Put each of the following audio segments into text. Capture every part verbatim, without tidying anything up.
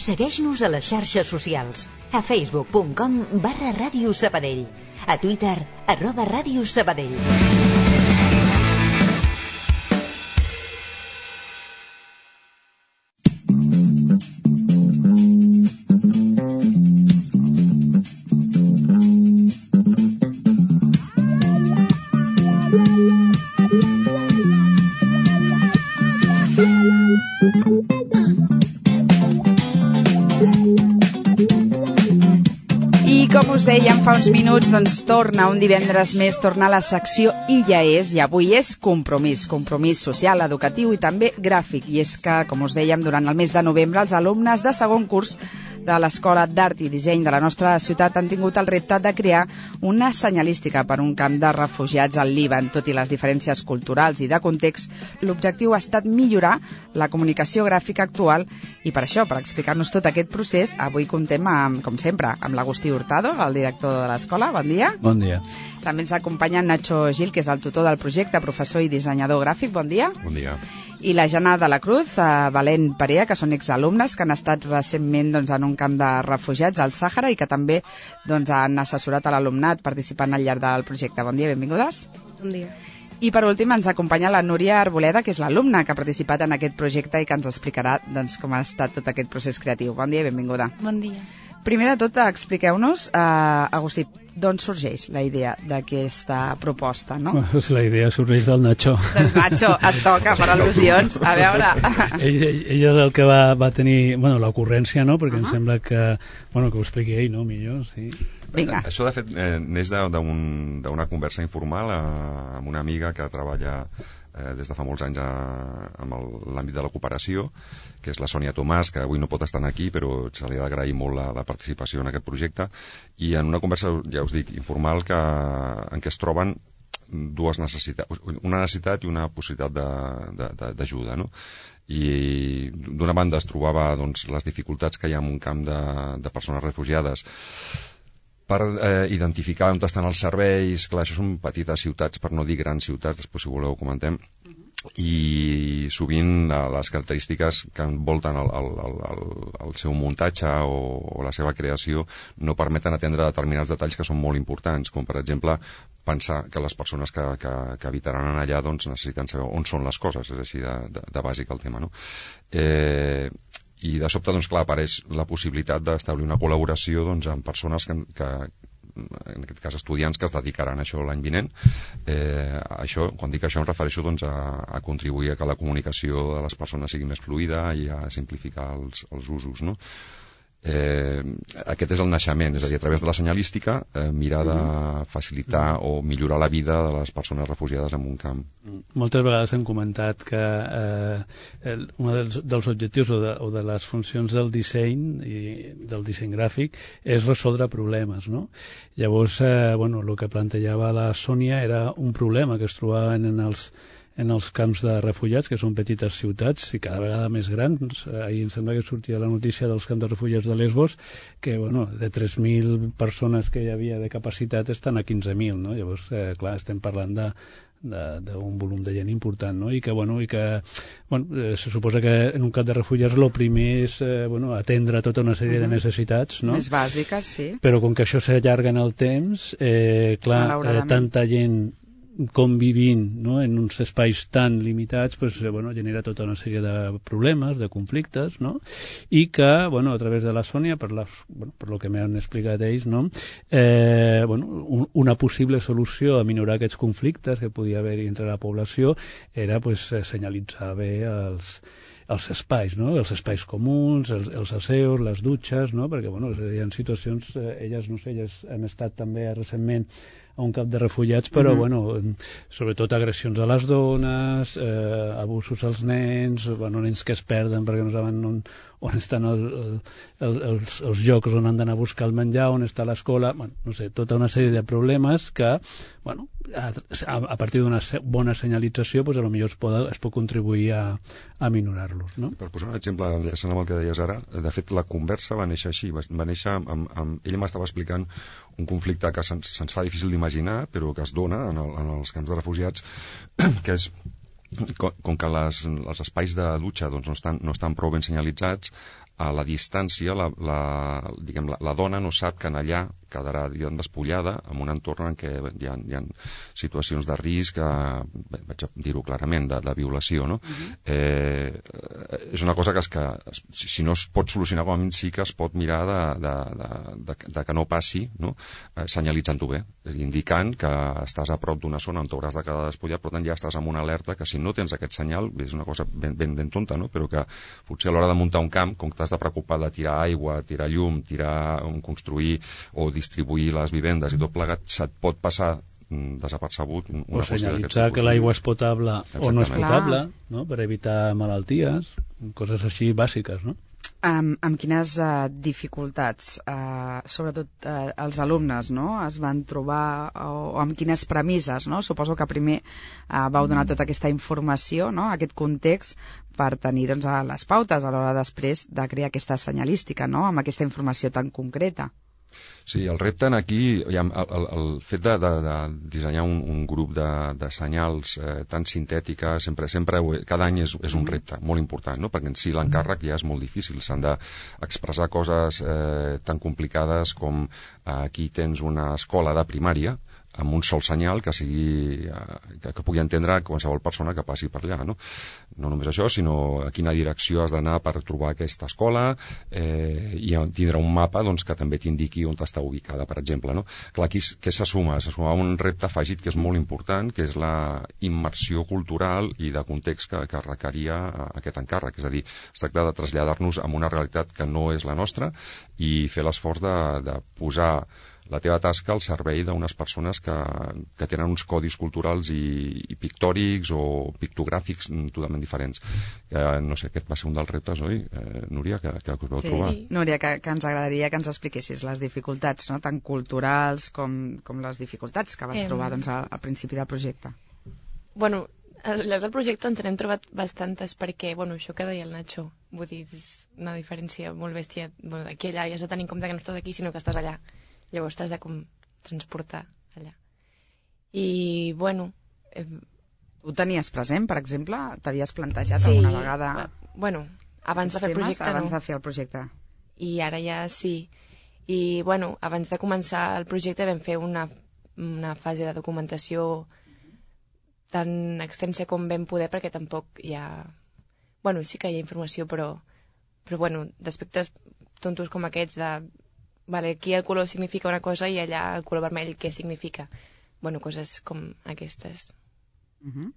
Segueix-nos a les xarxes socials. A facebook punt com barra Ràdio Sabadell. A Twitter, arroba Ràdio Sabadell. Us dèiem fa uns minuts, doncs torna un divendres més, torna a la secció I ja és, i avui és compromís, compromís social, educatiu i també gràfic. I és que, com us dèiem, durant el mes de novembre els alumnes de segon curs de l'Escola d'Art i Disseny de la nostra ciutat han tingut el repte de crear una senyalística per un camp de refugiats al Líban. Tot i les diferències culturals i de context, l'objectiu ha estat millorar la comunicació gràfica actual i per això, per explicar-nos tot aquest procés, avui contem, amb, com sempre, amb l'Agustí Hurtado, el director de l'escola. Bon dia. Bon dia. També ens acompanya Nacho Gil, que és el tutor del projecte, professor i dissenyador gràfic. Bon dia. Bon dia. I la Jana de la Cruz, eh, Valent Perea, que són exalumnes que han estat recentment doncs, en un camp de refugiats al Sàhara i que també doncs, han assessorat a l'alumnat participant al llarg del projecte. Bon dia, benvingudes. Bon dia. I per últim ens acompanya la Núria Arboleda, que és l'alumna que ha participat en aquest projecte i que ens explicarà doncs, com ha estat tot aquest procés creatiu. Bon dia i benvinguda. Bon dia. Primer de tot, expliqueu-nos, eh, Agustí, d'on sorgeix la idea d'aquesta proposta, no? Pues la idea sorgeix del Nacho. Doncs Nacho, et toca per al·lusions. A veure... ell, ell és el que va, va tenir, bueno, l'ocurrència, no? Perquè uh -huh. em sembla que, bueno, que ho expliqui ell, no? Millor, sí. Vinga. Això, de fet, eh, neix d'una conversa informal eh, amb una amiga que treballa eh, des de fa molts anys a, amb l'àmbit de la cooperació, que és la Sònia Tomàs, que avui no pot estar aquí, però se li ha d'agrair molt la, la participació en aquest projecte, i en una conversa, ja us dic, informal, que, en què es troben dues necessitats, una necessitat i una possibilitat d'ajuda, no? I d'una banda es trobava doncs, les dificultats que hi ha en un camp de, de persones refugiades per eh, identificar on estan els serveis. Clar, això són petites ciutats, per no dir grans ciutats, després si voleu ho comentem, i sovint les característiques que envolten el, el, el, el seu muntatge o, o la seva creació no permeten atendre determinats detalls que són molt importants, com per exemple pensar que les persones que, que, que habitaran allà doncs, necessiten saber on són les coses, és així de, de, de bàsic el tema, no? Eh, i de sobte, doncs clar, apareix la possibilitat d'establir una col·laboració doncs, amb persones que, que en aquest cas estudiants que es dedicaran a això l'any vinent. Eh, això, quan dic això em refereixo doncs, a, a contribuir a que la comunicació de les persones sigui més fluida i a simplificar els, els usos, no? Eh, aquest és el naixement, és a dir, a través de la senyalística eh, mirar de facilitar o millorar la vida de les persones refugiades en un camp. Moltes vegades hem comentat que eh, el, un dels, dels objectius o de, o de les funcions del disseny i del disseny gràfic és resoldre problemes, no? Llavors, eh, bueno, el que plantejava la Sònia era un problema que es trobaven en els en els camps de refugiats, que són petites ciutats i cada vegada més grans. Ahir em sembla que sortia la notícia dels camps de refugiats de Lesbos, que bueno, de tres mil persones que hi havia de capacitat estan a quinze mil, no? Llavors, eh, clar, estem parlant de d'un volum de gent important, no? I que, bueno, i que bueno, eh, se suposa que en un camp de refugiats el primer és eh, bueno, atendre tota una sèrie uh-huh. de necessitats, no? Més bàsiques, sí. Però com que això s'allarga en el temps, eh, clar, eh, tanta gent convivint, no?, en uns espais tan limitats, pues, eh, bueno, genera tota una sèrie de problemes, de conflictes, no? I que, bueno, a través de la Sònia, per, la, bueno, per lo que m'han explicat ells, no?, eh, bueno, un, una possible solució a minorar aquests conflictes que podia haver-hi entre la població era, pues, senyalitzar bé els els espais, no? Els espais comuns, els, els asseus, les dutxes, no? Perquè, bueno, hi ha situacions, eh, elles, no sé, elles han estat també recentment a un camp de refugiats, però, uh-huh. bueno, sobretot agressions a les dones, eh, abusos als nens, bueno, nens que es perden perquè no saben on, on estan el, el, els, els llocs on han d'anar a buscar el menjar, on està l'escola, bueno, no sé, tota una sèrie de problemes que, bueno, a, a partir d'una bona senyalització, pues, a lo millor es pot, es pot contribuir a, a minorar-los, no? Per posar un exemple, enllaçant amb el que deies ara, de fet, la conversa va néixer així, va, va néixer amb, amb... Ell m'estava explicant un conflicte que se'ns, se'ns fa difícil d'imaginar, però que es dona en, el, en els camps de refugiats, que és com, com que les, els espais de dutxa doncs, no, estan, no estan prou ben senyalitzats, a la distància la, la, diguem, la, la dona no sap que en allà quedarà, diguem, despullada en un entorn en què hi ha, hi ha situacions de risc, eh, vaig a dir-ho clarament, de, de violació, no? Uh-huh. eh, és una cosa que, es, que si, si no es pot solucionar, com a mínim sí que es pot mirar de, de, de, de, de que no passi, no? Eh, senyalitzant-ho bé, indicant que estàs a prop d'una zona on t'hauràs de quedar despullat, per tant ja estàs amb una alerta que si no tens aquest senyal, és una cosa ben, ben, ben tonta, no? Però que potser a l'hora de muntar un camp, com que t'has de preocupar de tirar aigua, tirar llum, tirar, construir o distribuir les vivendes i tot plegat, se't pot passar desapercebut una o senyalitzar que l'aigua és potable o no és potable, no? Per evitar malalties, coses així bàsiques, no? Amb, amb quines uh, dificultats, uh, sobretot uh, els alumnes, no? Es van trobar, o, o amb quines premisses, no? Suposo que primer uh, vau donar tota aquesta informació, no? Aquest context, per tenir doncs, les pautes a l'hora després de crear aquesta senyalística, no? Amb aquesta informació tan concreta. Sí, el repte en aquí, el, el, el fet de, de, de dissenyar un, un grup de, de senyals eh, tan sintètica, sempre, sempre cada any és, és un repte molt important, no? Perquè en si l'encàrrec ja és molt difícil, s'han d'expressar coses eh, tan complicades com eh, aquí tens una escola de primària amb un sol senyal que sigui que, que pugui entendre qualsevol persona que passi per allà, no? No només això, sinó a quina direcció has d'anar per trobar aquesta escola, eh, i tindrà un mapa doncs, que també t'indiqui on està ubicada, per exemple, no? Clar, aquí què se suma? Se suma un repte afegit que és molt important, que és la immersió cultural i de context que, que requeria aquest encàrrec, és a dir, es tracta de traslladar-nos a una realitat que no és la nostra i fer l'esforç de, de posar la teva tasca al servei d'unes persones que, que tenen uns codis culturals i, i pictòrics o pictogràfics totalment diferents. Eh, no sé, aquest va ser un dels reptes, oi, eh, Núria, que, que us vau sí. trobar? Núria, que, que ens agradaria que ens expliquessis les dificultats, no? Tant culturals com, com les dificultats que vas eh... trobar doncs, al, al principi del projecte. Bueno, al llarg del projecte ens n'hem trobat bastantes perquè, bueno, això que deia el Nacho, vull dir, és una diferència molt bèstia. Bueno, d'aquí allà ja has de tenir en compte que no estàs aquí, sinó que estàs allà. Llavors t'has de com transportar allà. I, bueno... Eh... Ho tenies present, per exemple? T'havies plantejat sí, alguna vegada... Bueno, abans de fer el projecte abans no. de fer el projecte. I ara ja sí. I, bueno, abans de començar el projecte vam fer una, una fase de documentació tan extensa com vam poder, perquè tampoc hi ha... Bueno, sí que hi ha informació, però, però bueno, d'aspectes tontos com aquests de... Vale, aquí el color significa una cosa i allà el color vermell què significa? Bueno, coses com aquestes. Uh-huh.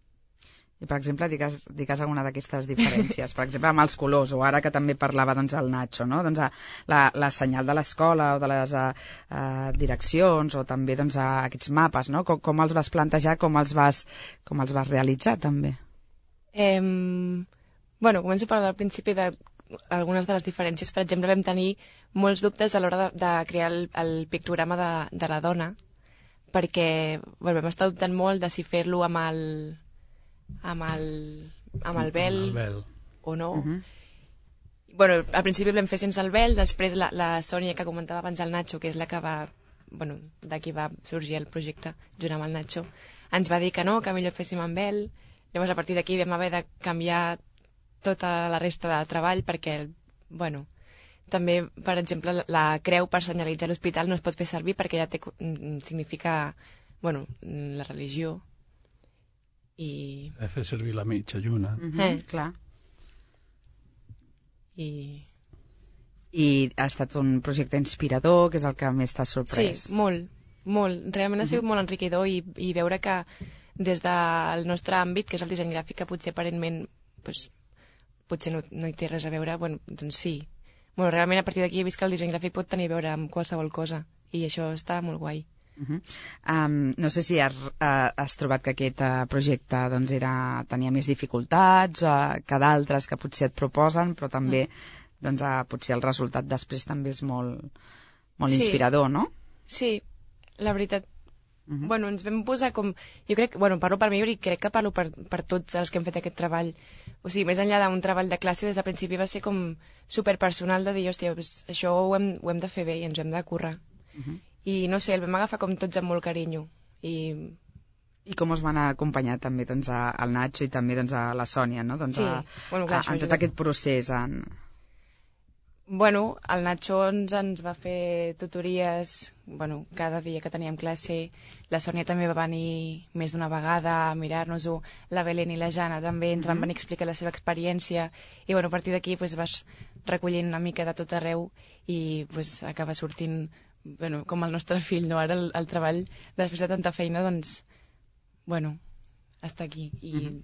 I, per exemple, digues, digues alguna d'aquestes diferències. Per exemple, amb els colors, o ara que també parlava doncs, el Nacho, no? Doncs, la, la senyal de l'escola o de les uh, uh, direccions o també doncs, uh, aquests mapes, no? Com, com els vas plantejar, com els vas, com els vas realitzar, també? Eh, bueno, començo per al principi de algunes de les diferències. Per exemple, vam tenir molts dubtes a l'hora de, de crear el, el pictograma de, de la dona, perquè bueno, vam estar dubtant molt de si fer-lo amb el amb el, amb el vel, amb el vel o no. Uh-huh. Bueno, al principi el vam fer sense el vel, després la, la Sònia, que comentava abans el Nacho, que és la que va, bueno, d'aquí va sorgir el projecte junt amb el Nacho, ens va dir que no, que millor féssim amb vel. Llavors a partir d'aquí vam haver de canviar tota la resta de treball perquè, bueno, també, per exemple, la creu per senyalitzar l'hospital no es pot fer servir perquè ja té, significa, bueno, la religió. I... He fet servir la mitja lluna. Uh-huh, eh. Clar. I... I ha estat un projecte inspirador, que és el que més t'ha sorprès. Sí, molt, molt. Realment ha sigut uh-huh. molt enriquidor i, i veure que des del nostre àmbit, que és el disseny gràfic, que potser aparentment pues, potser no, no hi té res a veure, bueno, doncs sí. Bueno, realment a partir d'aquí he vist que el disseny gràfic pot tenir a veure amb qualsevol cosa i això està molt guai. Uh-huh. um, no sé si has, uh, has trobat que aquest uh, projecte doncs, era, tenia més dificultats uh, que d'altres que potser et proposen, però també uh. doncs, uh, potser el resultat després també és molt, molt sí. inspirador, no? Sí, la veritat. Uh-huh. Bueno, ens vam posar com... Jo crec, bueno, parlo per mi i crec que parlo per, per tots els que hem fet aquest treball. O sigui, més enllà d'un treball de classe, des del principi va ser com superpersonal de dir, hòstia, pues, això ho hem, ho hem de fer bé i ens ho hem de currar. Uh-huh. I no sé, el vam agafar com tots amb molt carinyo. I, I com us van acompanyar també doncs, a, al Nacho i també doncs, a la Sònia, no? Doncs, sí, a, bueno, clar, a, en tot aquest procés. En... Bueno, el Nacho ens, ens va fer tutories, bueno, cada dia que teníem classe. La Sònia també va venir més d'una vegada a mirar-nos-ho. La Belén i la Jana també ens van venir a explicar la seva experiència. I bueno, a partir d'aquí pues, vas recollint una mica de tot arreu i pues, acaba sortint bueno, com el nostre fill, no? Ara el, el treball, després de tanta feina, doncs, bueno, està aquí. I... Mm-hmm.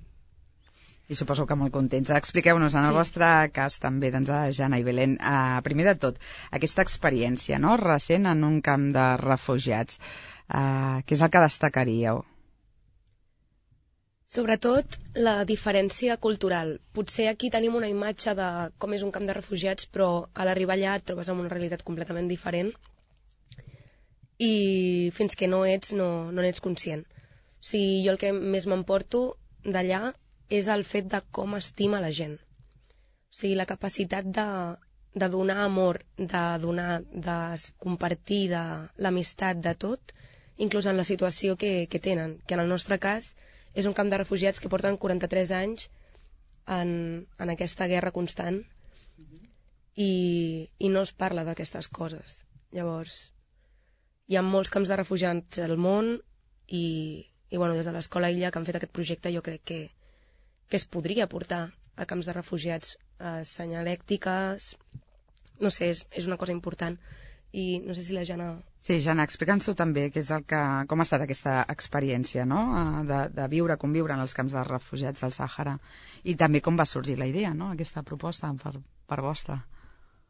I suposo que molt contents. Expliqueu-nos, en el sí. vostre cas també, doncs, a Jana i Belén, eh, primer de tot, aquesta experiència no? recent en un camp de refugiats, eh, què és el que destacaríeu? Sobretot la diferència cultural. Potser aquí tenim una imatge de com és un camp de refugiats, però a l'arribar allà et trobes amb una realitat completament diferent i fins que no ets, no, no n'ets conscient. O sigui, jo el que més m'emporto d'allà és el fet de com estima la gent. O sigui, la capacitat de, de donar amor, de donar, de compartir de l'amistat, de tot, inclús en la situació que, que tenen, que en el nostre cas és un camp de refugiats que porten quaranta-tres anys en, en aquesta guerra constant i, i no es parla d'aquestes coses. Llavors, hi ha molts camps de refugiats al món i, i bueno, des de l'Escola Illa que han fet aquest projecte jo crec que que es podria portar a camps de refugiats a senyalèctiques, no sé, és, és una cosa important. I no sé si la Jana... Sí, Jana, explica'ns-ho també, que és el que, com ha estat aquesta experiència, no?, de, de viure, conviure en els camps de refugiats del Sàhara. I també com va sorgir la idea, no?, aquesta proposta per, per vostra.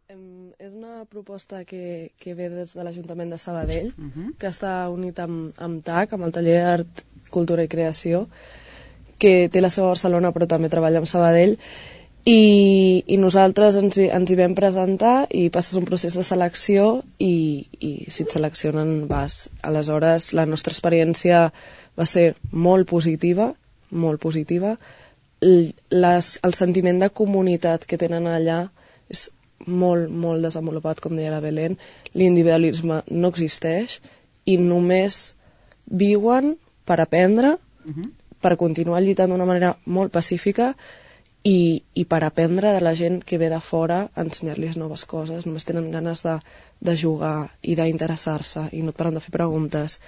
Um, és una proposta que, que ve des de l'Ajuntament de Sabadell, uh -huh. que està unit amb, amb T A C, amb el Taller d'Art, Cultura i Creació, que té la seu a Barcelona però també treballa amb Sabadell, i, i nosaltres ens hi, ens hi vam presentar i passes un procés de selecció i, i si et seleccionen vas. Aleshores la nostra experiència va ser molt positiva, molt positiva. Les, el sentiment de comunitat que tenen allà és molt, molt desenvolupat, com deia la Belén. L'individualisme no existeix i només viuen per aprendre, uh-huh. per continuar lluitant d'una manera molt pacífica i, i per aprendre de la gent que ve de fora a ensenyar-los noves coses. Només tenen ganes de, de jugar i d'interessar-se i no et paren de fer preguntes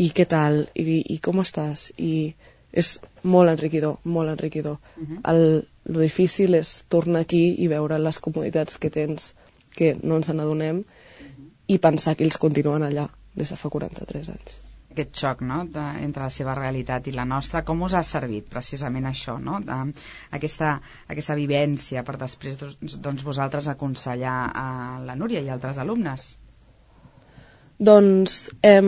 i què tal, i, i com estàs, i és molt enriquidor, molt enriquidor. Uh-huh. El, lo difícil és tornar aquí i veure les comoditats que tens que no ens n'adonem uh-huh. i pensar que ells continuen allà des de fa quaranta-tres anys. Aquest xoc, no?, de, entre la seva realitat i la nostra, com us ha servit precisament això, no?, de, aquesta, aquesta vivència per després doncs, doncs vosaltres aconsellar a la Núria i altres alumnes? Doncs eh,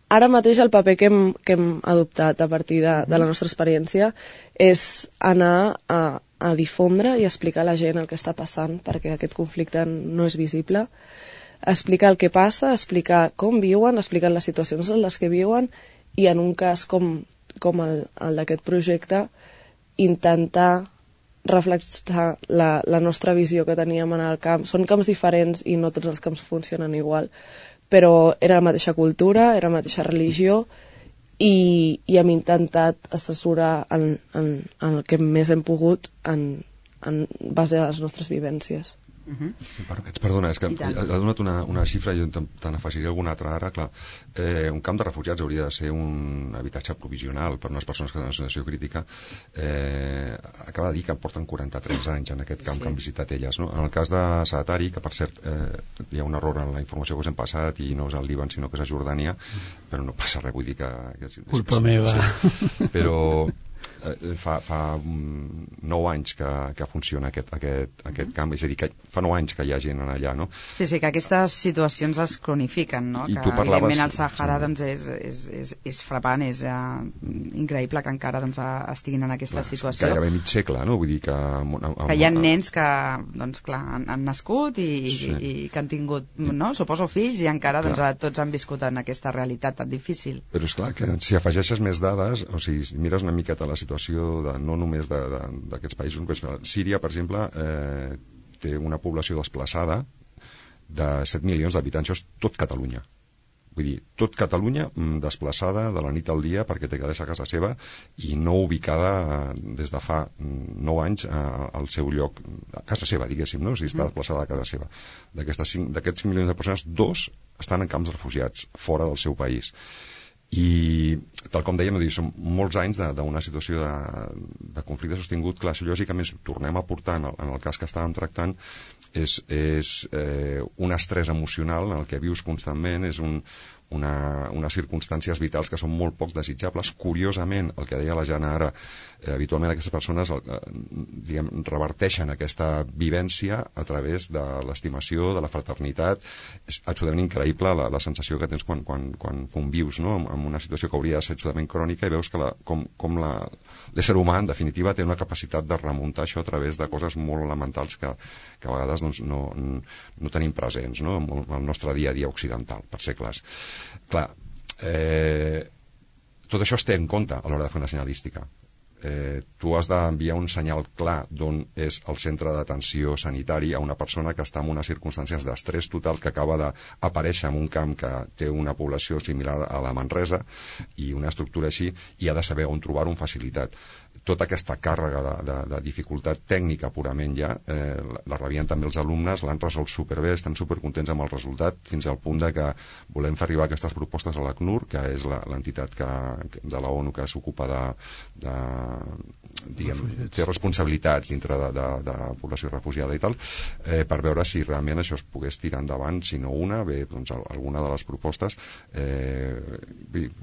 ara mateix el paper que hem, que hem adoptat a partir de, de la nostra experiència és anar a, a difondre i explicar a la gent el que està passant perquè aquest conflicte no és visible, explicar el que passa, explicar com viuen, explicar les situacions en les que viuen i en un cas com, com el, el d'aquest projecte intentar reflexar la, la nostra visió que teníem en el camp. Són camps diferents i no tots els camps funcionen igual, però era la mateixa cultura, era la mateixa religió i, i hem intentat assessorar en, en, en el que més hem pogut en, en base a les nostres vivències. Uh-huh. Per, perdona, és que ha donat una, una xifra i jo te n'afegiré alguna altra ara. Clar, eh, un camp de refugiats hauria de ser un habitatge provisional per a unes persones que tenen una situació crítica. Eh, acaba de dir que porten quaranta-tres anys en aquest camp sí. que han visitat elles, no? En el cas de Saatari, que per cert eh, hi ha un error en la informació que us hem passat i no és al Líban sinó que és a Jordània, però no passa res, vull dir que... que culpa meva. Sí. Però fa, fa nou anys que, que funciona aquest, aquest, aquest camp, és a dir, que fa nou anys que hi ha gent allà, no? Sí, sí, que aquestes situacions es cronifiquen, no? I que parlaves... evidentment el Sàhara doncs, és, és, és, és frapant, és uh, increïble que encara doncs, estiguin en aquesta clar, situació. Gairebé mig segle, no? Vull dir que... Amb, amb, que hi ha nens que, doncs, clar, han, han nascut i, sí. i, i que han tingut, no? Suposo fills i encara doncs, tots han viscut en aquesta realitat tan difícil. Però és clar que si afegeixes més dades, o sigui, si mires una miqueta la situació de, no només d'aquests països, però Síria, per exemple, eh, té una població desplaçada de set milions d'habitants, això és tot Catalunya. Vull dir, tot Catalunya desplaçada de la nit al dia perquè té que deixar casa seva i no ubicada des de fa nou anys al seu lloc, a casa seva, diguéssim, no? O sigui, està desplaçada a casa seva. D'aquests cinc milions de persones, dos estan en camps de refugiats, fora del seu país. I, tal com dèiem, són molts anys d'una situació de, de conflicte sostingut. Clar, això lògicament tornem a portar en el, en el cas que estàvem tractant és, és eh, un estrès emocional en el que vius constantment, és un, una, unes circumstàncies vitals que són molt poc desitjables. Curiosament, el que deia la Jana ara, eh, habitualment aquestes persones eh, diguem, reverteixen aquesta vivència a través de l'estimació, de la fraternitat. És absolutament increïble la, la sensació que tens quan, quan, quan convius, no? amb, amb una situació que hauria de ser absolutament crònica i veus que la, com, com la, l'ésser humà, en definitiva, té una capacitat de remuntar això a través de coses molt elementals que, que a vegades doncs, no, no tenim presents, no? en el nostre dia a dia occidental, per ser clars. Clar, eh, tot això es té en compte a l'hora de fer una senyalística. Eh, tu has d'enviar un senyal clar d'on és el centre d'atenció sanitari a una persona que està en unes circumstàncies d'estrès total, que acaba d'aparèixer en un camp que té una població similar a la Manresa i una estructura així, i ha de saber on trobar-ho amb facilitat. Tota aquesta càrrega de, de, de dificultat tècnica purament ja, eh, la rebien també els alumnes, l'han resolt superbé, estan supercontents amb el resultat, fins al punt de que volem fer arribar aquestes propostes a l'ACNUR, que és l'entitat que, de la ONU que s'ocupa de, de diguem, té responsabilitats dintre de, de, de població refugiada i tal, eh, per veure si realment això es pogués tirar endavant, si no una, bé, doncs alguna de les propostes. Eh,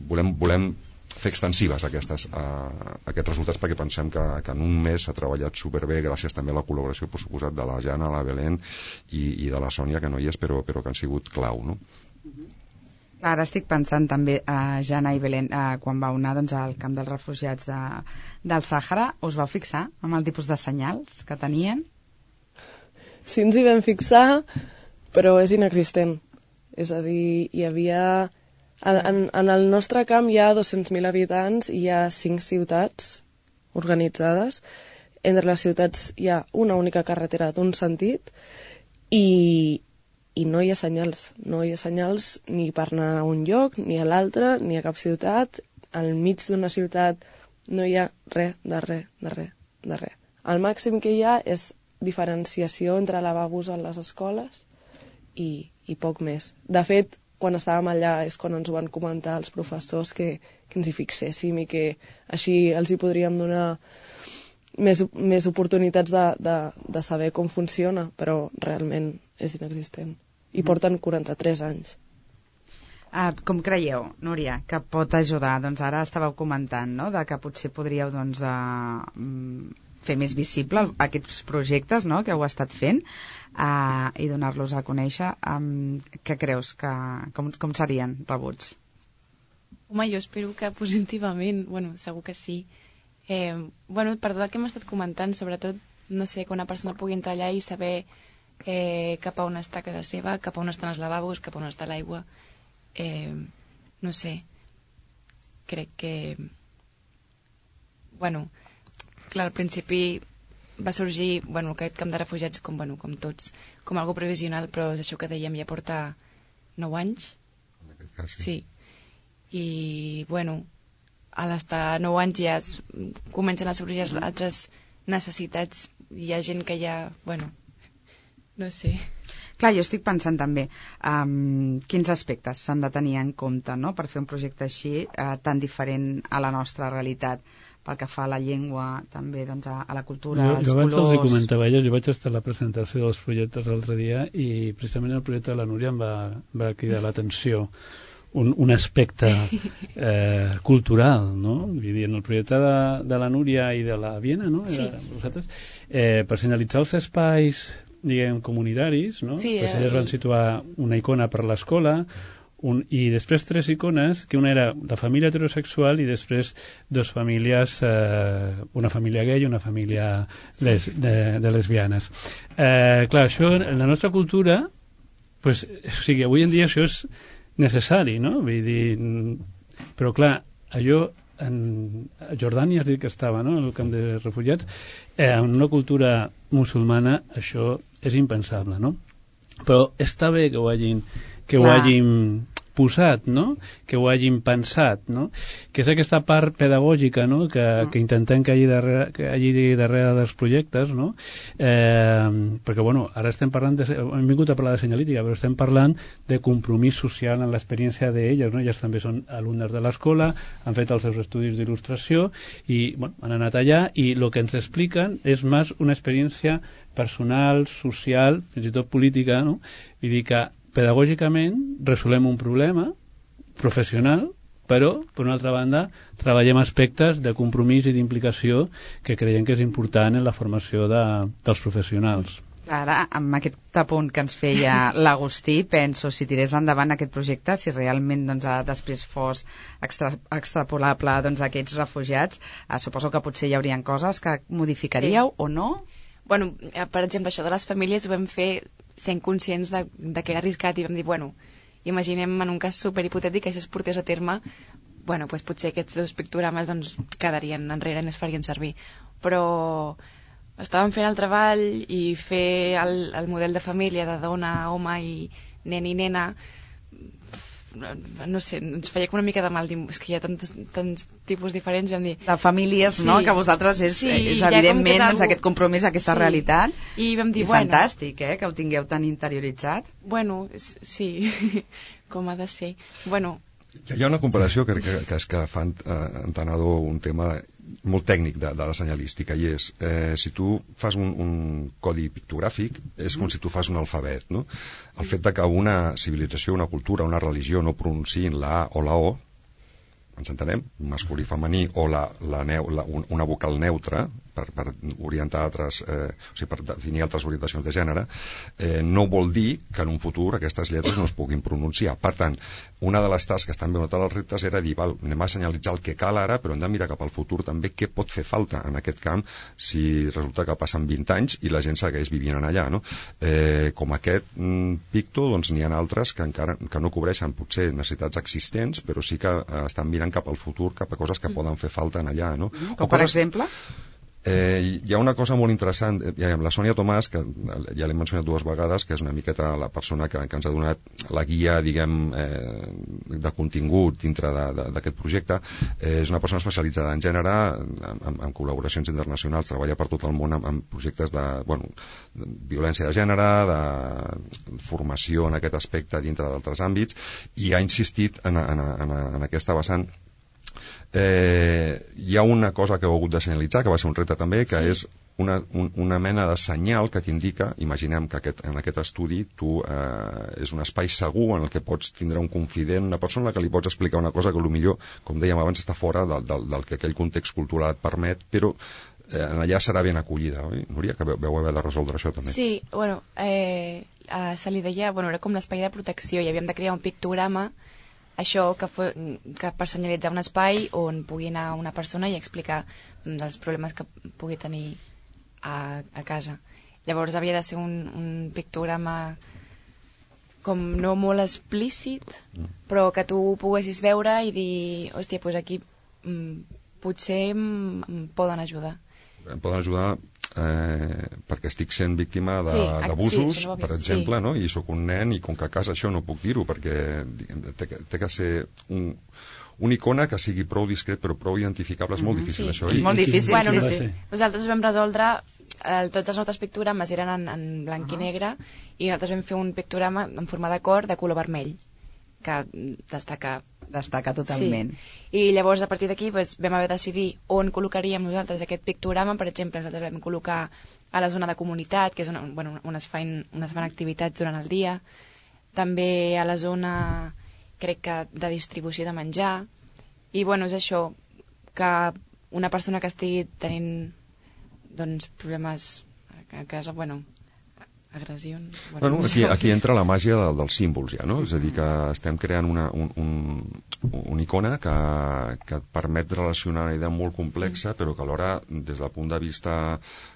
volem, volem fer extensives aquestes, uh, aquests resultats, perquè pensem que, que en un mes s'ha treballat superbé, gràcies també a la col·laboració, per suposat, de la Jana, la Belén i, i de la Sònia, que no hi és, però, però que han sigut clau, no? Ara estic pensant també, uh, Jana i Belén, uh, quan vau anar doncs, al camp dels refugiats de, del Sàhara, us vau fixar amb el tipus de senyals que tenien? Sí, ens hi vam fixar, però és inexistent. És a dir, hi havia... En, en, en el nostre camp hi ha dos-cents mil habitants i hi ha cinc ciutats organitzades. Entre les ciutats hi ha una única carretera d'un sentit i, i no hi ha senyals. No hi ha senyals ni per anar a un lloc, ni a l'altre, ni a cap ciutat. Al mig d'una ciutat no hi ha res, de res, de res, de res. El màxim que hi ha és diferenciació entre lavabos a les escoles i, i poc més. De fet, quan estàvem allà és quan ens ho van comentar els professors que, que ens hi fixéssim i que així els hi podríem donar més, més oportunitats de, de, de saber com funciona, però realment és inexistent. I porten quaranta-tres anys. Ah, com creieu, Núria, que pot ajudar? Doncs ara estàveu comentant, no?, de que potser podríeu doncs, uh, fer més visible aquests projectes, no?, que heu estat fent, Uh, i donar-los a conèixer. Um, què creus que com, com serien rebuts? Home, jo espero que positivament, bueno, segur que sí. Eh, bueno, per tot el que hem estat comentant, sobretot, no sé, que una persona pugui entrar allà i saber eh, cap a on està casa seva, cap a on estan els lavabos, cap a on està l'aigua. Eh, no sé, crec que... Bueno, clar, al principi va sorgir, bueno, aquest camp de refugiats com, bueno, com tots, com algo provisional, però és això que dèiem, ja porta nou anys. En aquest cas, sí. Sí. I, bueno, a l'estar nou anys ja es, comencen a sorgir mm. altres necessitats. Hi ha gent que ja, bueno, no sé. Clar, jo estic pensant també um, quins aspectes s'han de tenir en compte, no?, per fer un projecte així uh, tan diferent a la nostra realitat, pel que fa a la llengua, també doncs, a, a la cultura, jo, als jo colors... Jo abans els comentava ella, jo vaig estar a la presentació dels projectes l'altre dia i precisament el projecte de la Núria em va, va cridar l'atenció un, un aspecte eh, cultural, no? Vull dir, en el projecte de, de la Núria i de la Viena, no? Sí. Vosaltres, eh, per senyalitzar els espais, diguem, comunitaris, no? Sí, pues eh... elles van situar una icona per l'escola, Un, i després tres icones, que una era la família heterosexual i després dos famílies, eh, una família gay i una família les, de, de lesbianes. Eh, clar, això en la nostra cultura, pues, o sigui, avui en dia això és necessari, no? Vull dir, però clar, allò en a Jordània has dit que estava, no?, en el camp de refugiats, eh, en una cultura musulmana això és impensable, no? Però està bé que ho hagin que ho hagin posat, no? Que ho hagin pensat, no? Que és aquesta part pedagògica, no? Que, que intentem que hi hagi darrere, que hi hagi darrere dels projectes, no? Eh, perquè, bueno, ara estem parlant de, hem vingut a parlar de senyalítica, però estem parlant de compromís social en l'experiència d'elles, no? Elles també són alumnes de l'escola, han fet els seus estudis d'il·lustració i, bueno, han anat allà i el que ens expliquen és més una experiència personal, social, fins i tot política, no? Vull dir que pedagògicament resolem un problema professional, però, per una altra banda, treballem aspectes de compromís i d'implicació que creiem que és important en la formació de, dels professionals. Ara, amb aquest apunt que ens feia l'Agustí, penso, si tirés endavant aquest projecte, si realment doncs, després fos extra, extrapolable doncs, a aquests refugiats, eh, suposo que potser hi haurien coses que modificaríeu sí. o no? Bueno, per exemple, això de les famílies ho vam fer sent conscients de, de que era arriscat i vam dir, bueno, imaginem en un cas superhipotètic que això es portés a terme, bueno, doncs potser aquests dos pictogrames doncs, quedarien enrere i no es farien servir. Però estàvem fent el treball i fer el, el model de família de dona, home i nen i nena, no sé, ens feia com una mica de mal dir, és que hi ha tants, tants tipus diferents, vam dir... De famílies, sí. no?, que vosaltres és, sí, és evidentment és algú... doncs, aquest compromís, aquesta sí. realitat, i vam dir, i bueno... fantàstic, eh?, que ho tingueu tan interioritzat. Bueno, sí, com ha de ser. Bueno... Hi ha una comparació que crec que, que és que fan eh, entenedor un tema molt tècnic de, de la senyalística i és, eh, si tu fas un, un codi pictogràfic és com si tu fas un alfabet, no? El fet de que una civilització, una cultura, una religió no pronunciïn la A o la O, ens entenem, masculí, femení, o la, la neu, la, una vocal neutra, per, per orientar altres, eh, o sigui, per definir altres orientacions de gènere, eh, no vol dir que en un futur aquestes lletres no es puguin pronunciar. Per tant, una de les tasques també, una dels reptes era dir, val, anem a senyalitzar el que cal ara, però hem de mirar cap al futur també què pot fer falta en aquest camp si resulta que passen vint anys i la gent segueix vivint allà, no? Eh, com aquest mm, picto, doncs n'hi ha altres que encara que no cobreixen potser necessitats existents, però sí que eh, estan mirant cap al futur, cap a coses que poden fer falta en allà, no? Com per exemple? Eh, hi ha una cosa molt interessant, hi ha la Sònia Tomàs, que ja l'he mencionat dues vegades, que és una miqueta la persona que, que ens ha donat la guia, diguem, eh, de contingut dintre d'aquest projecte. Eh, és una persona especialitzada en gènere, en, en col·laboracions internacionals, treballa per tot el món en, en projectes de, bueno, de violència de gènere, de formació en aquest aspecte dintre d'altres àmbits, i ha insistit en, en, en, en aquesta vessant. Eh, hi ha una cosa que heu hagut de senyalitzar, que va ser un repte també, que sí. és una, un, una mena de senyal que t'indica, imaginem que aquest, en aquest estudi tu eh, és un espai segur en el que pots tindre un confident, una persona a la que li pots explicar una cosa que potser, com dèiem abans, està fora del, del, del que aquell context cultural et permet, però eh, allà serà ben acollida, oi? Núria, que veu, veu haver de resoldre això també. Sí, bueno, eh, a, se li deia, bueno, era com l'espai de protecció i havíem de crear un pictograma això que, fos, que per senyalitzar un espai on pugui anar una persona i explicar els problemes que pugui tenir a, a casa. Llavors havia de ser un, un pictograma com no molt explícit, mm. però que tu poguessis veure i dir, hòstia, doncs aquí mm, potser em poden ajudar. Em poden ajudar eh, perquè estic sent víctima d'abusos, sí, sí, per exemple, sí. no? I sóc un nen i com que a casa això no puc dir-ho perquè té, té que ser un, una icona que sigui prou discret però prou identificable. És molt difícil, sí. això. És molt difícil, bueno, sí, no, sí. sí. Nosaltres vam resoldre eh, tots els nostres pictogrames eren en, en blanc uh -huh. i negre i nosaltres vam fer un pictograma en forma de cor de color vermell que destaca destaca totalment. Sí. I llavors a partir d'aquí doncs, vam haver de decidir on col·locaríem nosaltres aquest pictograma. Per exemple, nosaltres vam col·locar a la zona de comunitat, que és on, bueno, on es fan, on es fan activitats durant el dia, també a la zona, crec que, de distribució de menjar, i bueno, és això, que una persona que estigui tenint doncs, problemes a casa, bueno, agressions... Bueno, bueno, aquí, aquí entra la màgia de, dels símbols ja, no? És a dir, que estem creant una, un, un, una icona que, que et permet relacionar una idea molt complexa, però que alhora, des del punt de vista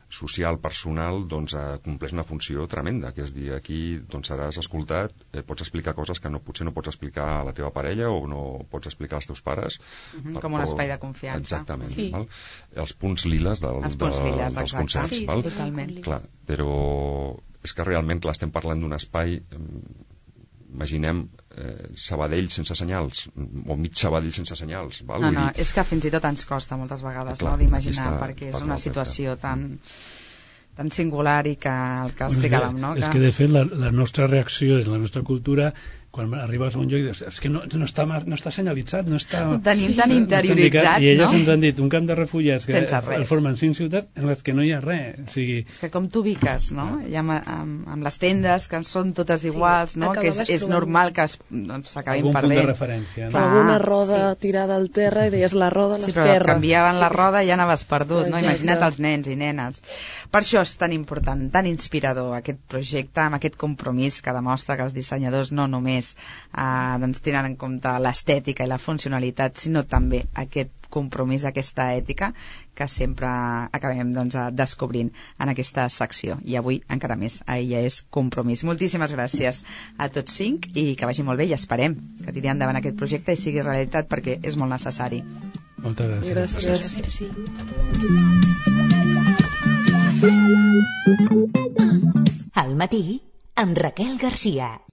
social, personal, doncs eh, compleix una funció tremenda, que és dir, aquí doncs, seràs escoltat, eh, pots explicar coses que no, potser no pots explicar a la teva parella o no pots explicar als teus pares. Uh-huh, per, com un espai de confiança. Exactament. Sí. Val? Els punts liles, del, Els punts de, liles dels concerts. Sí, val? sí, totalment. Clar, però és que realment clar, estem parlant d'un espai imaginem eh, Sabadell sense senyals, o mig Sabadell sense senyals. Val? No, no, dir... és que fins i tot ens costa moltes vegades, clar, no, d'imaginar, està, perquè és una situació tan, tan singular i que el que explicàvem, no? És que, de fet, la, la nostra reacció és la nostra cultura, quan arribes a un lloc i dius, és que no, no, està, no està senyalitzat, no està... Ho tenim tan interioritzat, I elles no? ens han dit, un camp de refugiats que el formen cinc ciutats en les que no hi ha res. O sigui... És que com t'ubiques, no? Ja amb, amb, amb les tendes, que són totes iguals, sí, no? Que és, és normal que doncs, s'acabin doncs, perdent. Algun punt de referència. No? Alguna roda sí. tirada al terra i deies la roda a l'esquerra. Sí, però canviaven la roda i ja anaves perdut, no? Imagina't els nens i nenes. Per això és tan important, tan inspirador aquest projecte, amb aquest compromís que demostra que els dissenyadors no només eh, doncs, tenen en compte l'estètica i la funcionalitat, sinó també aquest compromís, aquesta ètica que sempre acabem doncs, descobrint en aquesta secció. I avui encara més, a Ella és Compromís. Moltíssimes gràcies a tots cinc i que vagi molt bé i esperem que tiri endavant aquest projecte i sigui realitat perquè és molt necessari. Moltes gràcies. Gràcies. Al matí, amb Raquel Garcia.